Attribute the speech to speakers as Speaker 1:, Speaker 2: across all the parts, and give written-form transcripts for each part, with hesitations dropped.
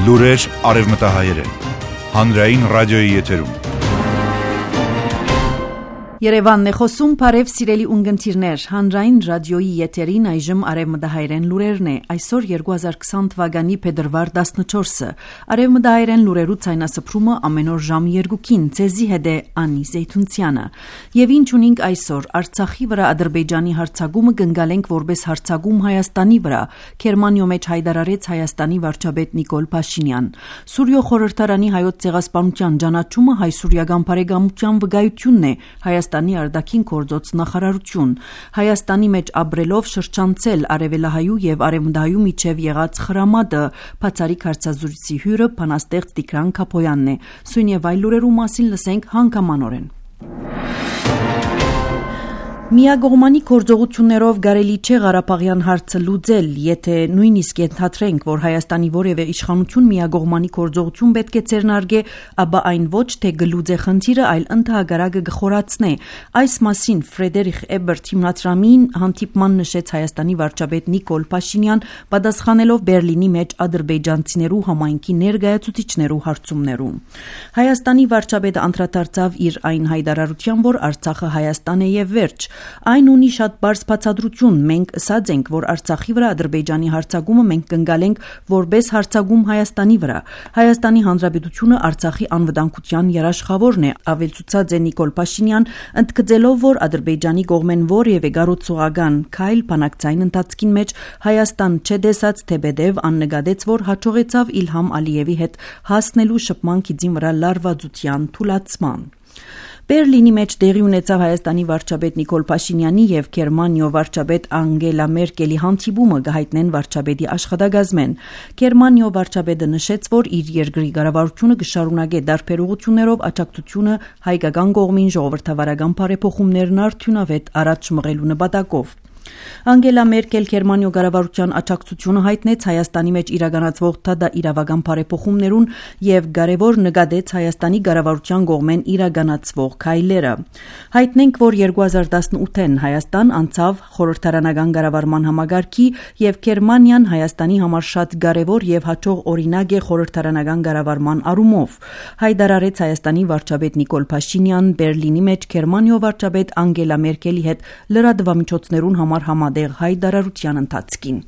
Speaker 1: Լուրեր արևմտահայերեն, հանրային ռադիոյի եթերում։
Speaker 2: Երևանն է խոսում, բարև սիրելի ունգընտիրներ, հանրային ռադիոյի եթերին այժմ արևմտահայերեն լուրերն է, այսօր 2020 թվականի փետրվար 14-ը, արևմտահայերեն լուրերու ցայնասփռումը ամեն օր ժամը 2-ին, ցեզի հետ է Անի Զեյթունցյանը, եւ ինչ ունենք այսօր, Արցախի վրա Ադրբեջանի հարձակումը կընկալենք որպես հարձակում Հայաստանի վրա, Գերմանիո մեջ հայտարարեց Հայաստանի վարչապետ Նիկոլ Փաշինյան, Սուրիո խորհրդարանի հայոց ցեղասպանության ճանաչումը հայ-սուրիական բարեկամության վկայությունն է, Հայաստանի արտաքին գործոց նախարարություն, Հայաստանի մեջ ապրելով շրջանցել արևելահայու եւ արևմտահայու միջև եղած խրամատը, բացառիկ հարցազրույցի հյուրը բանաստեղծ Տիգրան Քապոյանն է, սույն եւ այլ լուրերու մասին լսենք հանգամանորեն։ Միագողմանի գործողություններով կարելի չէ Ղարաբաղյան հարցը լուծել, եթե նույնիսկ ենթադրենք, որ Հայաստանի որևէ իշխանություն միագողմանի գործողություն պետք է ձեռնարկե, ապա այն ոչ թե կլուծի խնդիրը, այլ ընդհանրակը կխորացնի։ Այս մասին Ֆրեդերիխ Էբերտ հիմնադրամին հանդիպման նշեց Հայաստանի վարչապետ Նիկոլ Փաշինյան, պատասխանելով Բերլինի մեջ ադրբեջանցիներու համայնքի ներկայացուցիչներու հարցումներուն։ Հայաստանի վարչապետը անդրադարձավ իր այն հայտարարության, որ Արցախը Հայաստան է եւ վերջ։ Այն ունի շատ բարձ բացատրություն, մենք ասած ենք, որ Արցախի վրա Ադրբեջանի հարձակումը մենք կընկալենք որպես հարձակում Հայաստանի վրա։ Հայաստանի Հանրապետությունը Արցախի անվտանգության երաշխավորն է, ավելցուցած է Նիկոլ Փաշինյան, ընդգծելով, որ Ադրբեջանի կողմեն որևէ գառուցողական քայլ բանակցային ընթացքին մեջ Հայաստան չդեսած թեպետև աննկատեց, որ հաջողեցավ Իլհամ Ալիևի հետ հասնելու շփման քիծին վրա լարվածության թուլացման։ Բերլինի մեջ տեղի ունեցավ Հայաստանի վարչապետ Նիկոլ Փաշինյանի եւ Գերմանիո վարչապետ Անգելա Մերկելի հանդիպումը գահիտնեն վարչապետի աշխատակազմեն։ Գերմանիո վարչապետը նշեց, որ իր երկրի կառավարությունը կշարունակի դարբեր ուղղություններով աջակցությունը հայկական կողմին ժողովրդավարական բարեփոխումներն արդյունավետ առաջ մղելու նպատակով։ Անգելա Մերկել Գերմանիո կառավարության աջակցությունը հայտնեց Հայաստանի մեջ իրականացվող իրավական բարեփոխումներուն եւ կարեւոր նկատեց Հայաստանի կառավարության կողմեն իրականացվող քայլերը։ Հայտնենք, որ 2018-ին Հայաստան անցավ խորհրդարանական կառավարման համագարքի եւ Գերմանիան Հայաստանի համար շատ կարեւոր եւ հաջող օրինակ է խորհրդարանական կառավարման առումով։ Հայտարարեց Հայաստանի վարչապետ Նիկոլ Փաշինյան Բերլինի մեջ Գերմանիո վարչապետ Անգելա Մերկելի հետ լրատվամիջոցներուն համատեղ հայտարարության ընթացքին։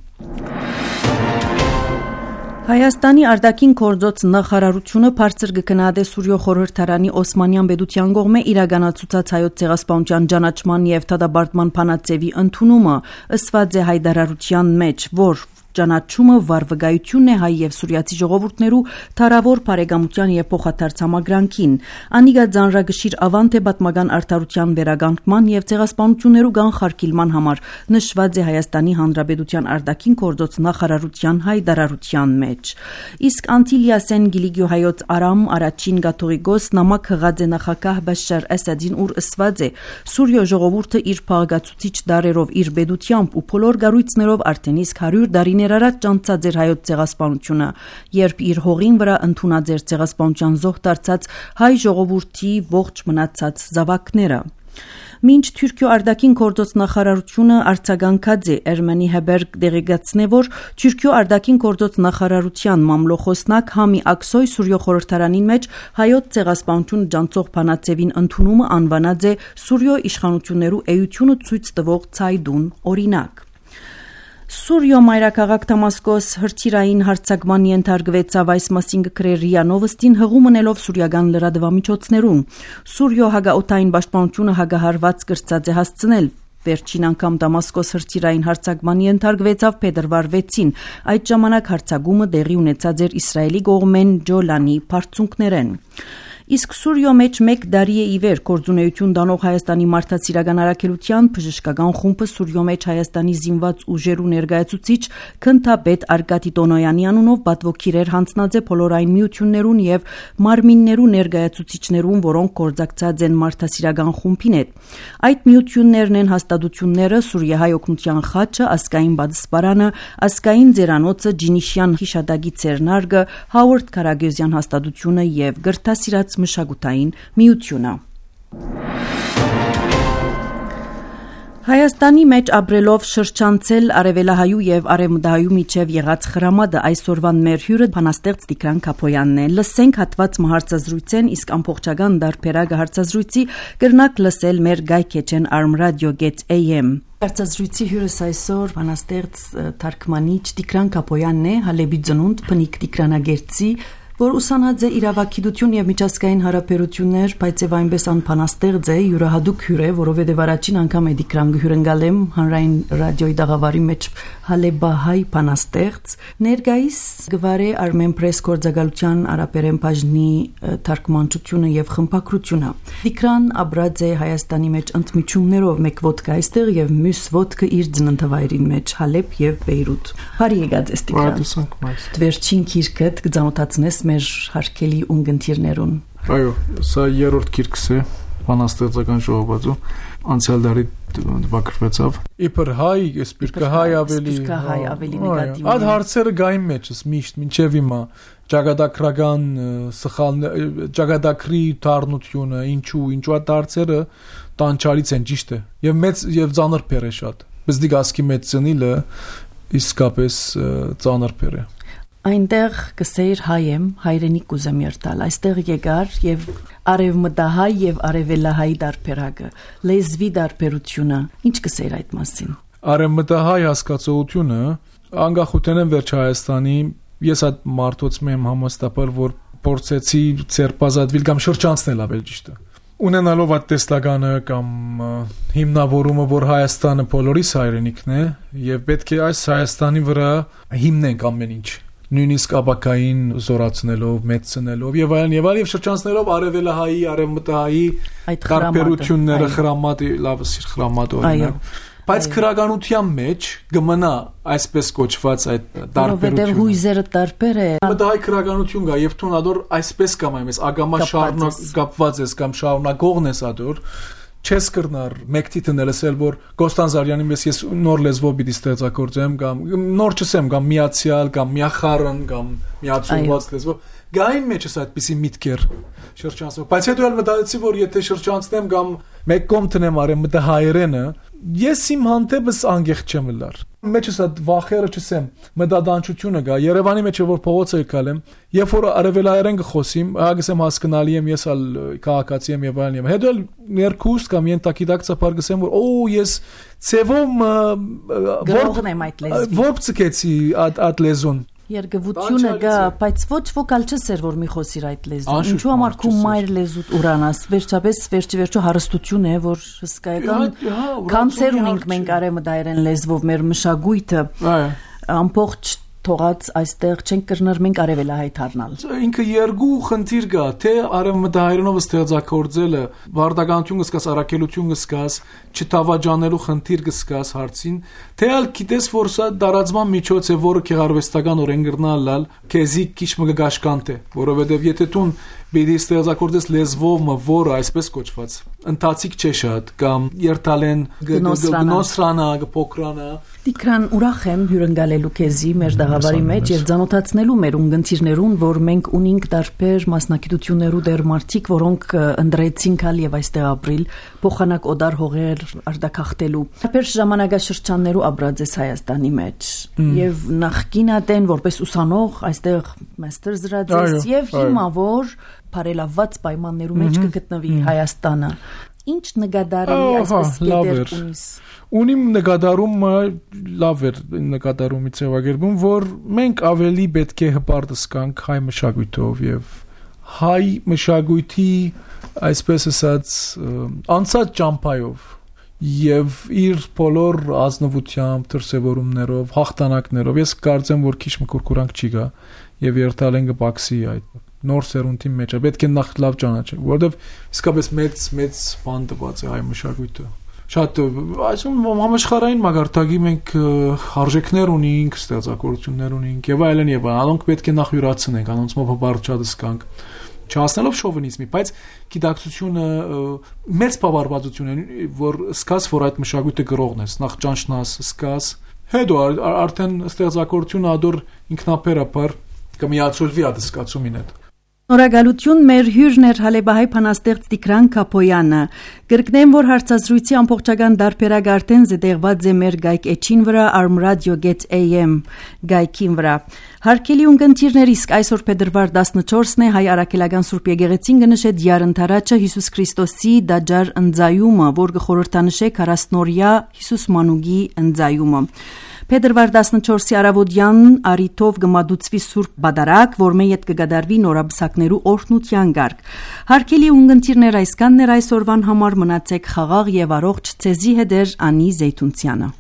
Speaker 2: Հայաստանի արտաքին գործոց նախարարությունը բարձր կգնահատե Սուրիո խորհրդարանի Օսմանյան պետության կողմէ իրականացուցած հայոց ցեղասպանության ճանաչման եւ դատապարտման փանացեվի ընդունումը, ըսված է հայտարարության մեջ, որ ճանաչումը վարվգայությունն է հայ եւ սուրիացի ժողովուրդներու թարավոր բարեկամության եւ փոխադարձ համագրանքին։ Անիգա ձանրագշիր ավանդ է պատմական արդարության վերականգնման եւ ցեղասպանություններու կանխարգելման համար, նշված է Հայաստանի Հանրապետության արտաքին գործոց նախարարության հայտարարության մեջ։ Իսկ Անտիլիասեն Գիլիգիո հայոց Արամ առաջին կաթողիկոս նամակ հղած է նախագահ Բաշար Ասադին, ուր ըսված է. Սուրիո ժողովուրդը իր փաղաքացուցիչ դարերով իր պետությամբ ու բոլոր գառույցներով արդեն իսկ 100 տարիներ առաջ ճանաչած էր հայոց ցեղասպանությունը, երբ իր հողին վրա ընդունած էր ցեղասպանության զոհ դարձած հայ ժողովրդի ողջ մնացած զավակները։ Մինչ Թուրքիո արտաքին գործոց նախարարությունը արձագանքած է Էրմենի Հեբերգ դեղեկացնե, որ Թուրքիո արտաքին գործոց նախարարության մամլոխոսնակ Համի Աքսոյ Սուրիո խորհրդարանին մեջ հայոց ցեղասպանություն ջանցող բանացևին ընդունումը անվանած է Սուրիո իշխանություններու էությունը ցույց տվող ցայդուն օրինակ։ Սուրիո մայրաքաղաք Դամասկոս հրթիռային հարձակման ենթարկվեցավ, այս մասին կգրեր ՌԻԱ Նովոստին հղում ունելով սուրիական լրատվամիջոցներուն։ Սուրիո հագաօթային պաշտպանությունը հագահարված կրծած է հասցնել։ Վերջին անգամ Դամասկոս հրթիռային հարձակման ենթարկվեցավ փետրվար 6-ին։ Այդ ժամանակ հարձակումը տեղի ունեցած էր Իսրայելի կողմեն Ջոլանի բարձունքներեն։ Իսկ Սուրիո մեջ 1 տարի է ի վեր գործունեություն դանող Հայաստանի մարդասիրական առաքելության բժշկական խումբը Սուրիո մեջ Հայաստանի զինված ուժերու ներկայացուցիչ քննադատ Արկադի Տոնոյանի անունով պատվոգիրեր հանձնած է բոլոր այն միություններուն եւ մարմիններու ներկայացուցիչներուն, որոնք գործակցած են մարդասիրական խումբին հետ։ Այդ միություններն են հաստատությունները Սուրիահայ օգնության խաչը, ազգային բադսպարանը, ազգային ձերանոցը, Ջինիշյան հիշադակի ցերնարգը, Հովարդ Քարագյուզյան հաստատությունը եւ գրթասիրած մշակութային միությունը։ Հայաստանի մեջ ապրելով շրջանցել արևելահայու եւ արևմտահայու միջև եղած խրամատը այսօրվան մեր հյուրը բանաստեղծ Տիգրան Քապոյանն է։ Լսենք հատված մահարցազրույցեն, իսկ ամբողջական դարբերակը հարցազրույցի կրնակ լսել մեր Գայքեչեն armradio.am։ Հարցազրույցի հյուրս այսօր բանաստեղծ թարգմանիչ Տիգրան Քապոյանն է, Հալեբի ծնունդ, բնիկ Տիգրանագերտցի, որ ուսանած է իրավագիտություն եւ միջազգային հարաբերություններ, բայց եւ այնպես անփանաստեղծ է, յուրահատուկ հյուր է, որովհետեւ առաջին անգամ է Տիգրան գհյուրընկալեմ հանրային ռադիոյի դաղավարի մեջ հալեբահայ փանաստեղծ, ներկայիս գվարե Armenpress գործակալության արաբերեն բաժնի թարգմանչությունը եւ խմբակրությունը։ Տիգրան ապրած է Հայաստանի մեջ ընդմիջումներով, մեկ ոդկա այստեղ եւ մյուս ոդկը իր ծննդավայրին մեջ Հալեբ եւ Բեյրութ։ Բարի եկած ես Տիգրան։ Վերջին գիրքդ կձանոթացնես մեր հարկելի ունգընտիրներուն։
Speaker 3: Այո, սա երրորդ գիրքս է բանաստեղծական ժողովածու, անցյալ դարի դպակրվեցավ։ Իբր հայ, սպիրկը հայ ավելի
Speaker 2: նեգատիվ։
Speaker 3: Այդ հարցերը գային մեջս միշտ մինչև հիմա ճակատագրական սխալներ, ճակատագրի դառնությունը, ինչու այդ հարցերը տանջալից են, ճիշտ է։ Եվ մեծ եւ ծանր բեր է շատ։ Բզդիկ ասկի մեծ ծնիլը իսկապես ծանր բեր է։
Speaker 2: Այնտեղ կսեիր հայ եմ, հայրենիք կուզեմ երթալ, այստեղ եկար եւ արևմտահայ եւ արևելահայ դարբերակը, լեզվի դարբերությունը, ինչ կսեիր այդ մասին։
Speaker 3: Արևմտահայ հասկացողությունը անկախության են վերջ Հայաստանի, ես այդ մարդոց եմ համոստապել, որ փորձեցի ցերպազատվել կամ շրջանցնել ավելի ճիշտ է։ Ունենալով այդ տեսլականը կամ հիմնավորումը, որ Հայաստանը բոլորիս հայրենիքն է եւ պետք է այս Հայաստանի վրա հիմնենք ամեն ինչ, նույնիսկ ապակային զորացնելով, մեծնելով եւ այլն եւ շրջանցնելով արևելահայի, արևմտահայի տարբերությունները, խրամատի, լավ սիր խրամատ օրինակ, բայց քրագանության մեջ կմնա այսպես կոչված այդ տարբերությունը։
Speaker 2: Որովհետեւ հույզերը տարբեր է։
Speaker 3: Մտահայ քրագանություն կա եւ թունադոր այսպես կամ այնպես ագամա շարունակված ես կամ շարունակողն ես ադոր չես կրնար մեկտիտն լսել, որ Կոստանզարյանի պես ես նոր լեզվով պիտի ստեղծագործեմ կամ նոր չսեմ կամ միացյալ կամ միախառն կամ միացումված լեզվով գային մեջս այդպիսի միտքեր շրջանցում, բայց հետո էլ մտածեցի, որ եթե շրջանցնեմ կամ մեկ կողմ տնեմ արեմ մտահայերենը, ես իմ հանդեպս անգեղտ չեմ լար։ Մեջս այդ վախերը չսեմ, մտադանչությունը գա, Երևանի մեջ որ փողոցը եկալեմ, երբ որ արևելահայերեն կխոսիմ, ագսեմ հասկանալի եմ, ես ալ քաղաքացի եմ եւ այլն։ Հետո էլ ներքուստ կամ ենթակիդակցաբար գսեմ, որ ես ցևում
Speaker 2: գրողն եմ այդ լեզվի։
Speaker 3: Որբ ցկեցի այդ լեզուն։
Speaker 2: Երգվությունը գա, բայց ոչ վոկալ չսեր, որ մի խոսիր այդ լեզուն։ Ինչու համար քու մայր լեզուտ ուրանաս, վերջապես վերջի հարստություն է, որ հսկայական կանցեր ունենք մենք արևմտահայերեն լեզվով մեր մշակույթը ամբողջ թողած այստեղ չենք կրնար մենք արևելահայ դառնալ։
Speaker 3: Ինքը երկու խնդիր կա, թե արևմտահայերենով ստեղծագործելը վարդականություն կսկաս, առաքելություն կսկաս, չտավաճանելու խնդիր կսկաս հարցին, թե ալ գիտես, որ սա դարածման միջոց է, որը գեղարվեստական օրեն գրնալալ, քեզի քիչ մը գաշկանտ է, որովհետև եթե դու բիդի ստեղծագործես լեզվով, որը այսպես կոչված ընթացիկ չէ շատ կամ երթալեն գնոսրանա, փոքրանա։
Speaker 2: Տիգրան, ուրախ եմ հյուրընկալելու քեզի մեր դաղավարի մեջ եւ ցանոթացնելու մեր ունգընտիրներուն, որ մենք ունենք տարբեր մասնակցություններու դեր մարդիկ, որոնք ընդրեցին կալ եւ այստեղ ապրիլ, փոխանակ օդար հողեր արտակախտելու։ Տարբեր ժամանակաշրջաններու ապրած ես Հայաստանի մեջ եւ նախկինատեն որպես ուսանող այստեղ մաստեր զրած ես եւ հիմա որ բարելավված պայմաններու մեջ կգտնվի Հայաստանը։ Ինչ նկատառի այսպես գետեր ունիս։
Speaker 3: Ունիմ նկատառումը լավ էր նկատառումի ձևակերպում, որ մենք ավելի պետք է հպարտս կանք հայ մշակույթով եւ հայ մշակույթի այսպես ասած անցած ճամփայով եւ իր բոլոր ազնվությամբ, դրսևորումներով, հաղթանակներով ես կարծեմ, որ քիչ մկուրկուրանք չի գա եւ երթալ են կպաքսի այդ նոր սերունդի մեջ է, պետք է նախ լավ ճանաչել, որովհետև իսկապես մեծ բան տված է հայ մշակույթը։ Շատ այսօր համաշխարհային մագարտակի մենք արժեքներ ունենք, ստեղծագործություններ ունենք եւ այլն եւ անոնք պետք է նախ յուրացնենք, անոնց մոտ բարձրացած կանք չհասնելով շովինիզմի, բայց գիտակցությունը մեծ բավարարվածություն է, որ սկաս որ այդ մշակույթը գրողն ես, նախ ճանչնաս, սկաս, հետո արդեն ստեղծագործությունը ադոր ինքնաբերաբար կմիացոլվի այդ սկացումին հետ։
Speaker 2: Նորագալություն մեր հյուրն էր Հալեբահայ փանաստեղծ Տիգրան Քապոյանը։ Կրկնեմ, որ հարցազրույցի ամբողջական դարբերակ արդեն զետեղված է մեր գայք էջին վրա armradio.am գայքին վրա։ Հարգելի ունկնդիրներ, իսկ այսօր փետրվար 14-ն է հայ արաքելական Սուրբ Եկեղեցին կնշե Դյար ընթարաճը Հիսուս Քրիստոսի դաջար ընձայումը, որ կխորհրդանշե 40-օրյա Հիսուս Մանուկի ընձայումը։ Փետրվար 14-ի առավոտյան արիթով կմատուցվի Սուրբ Բադարակ, որ մեյ հետ կգադարվի նորաբսակներու օրհնության գարկ։ Հարգելի ունկնդիրներ, այսքանն էր այսօրվան համար, մնացեք խաղաղ եւ առողջ, ցեզի հետ էր Անի Զեյթունցյանը։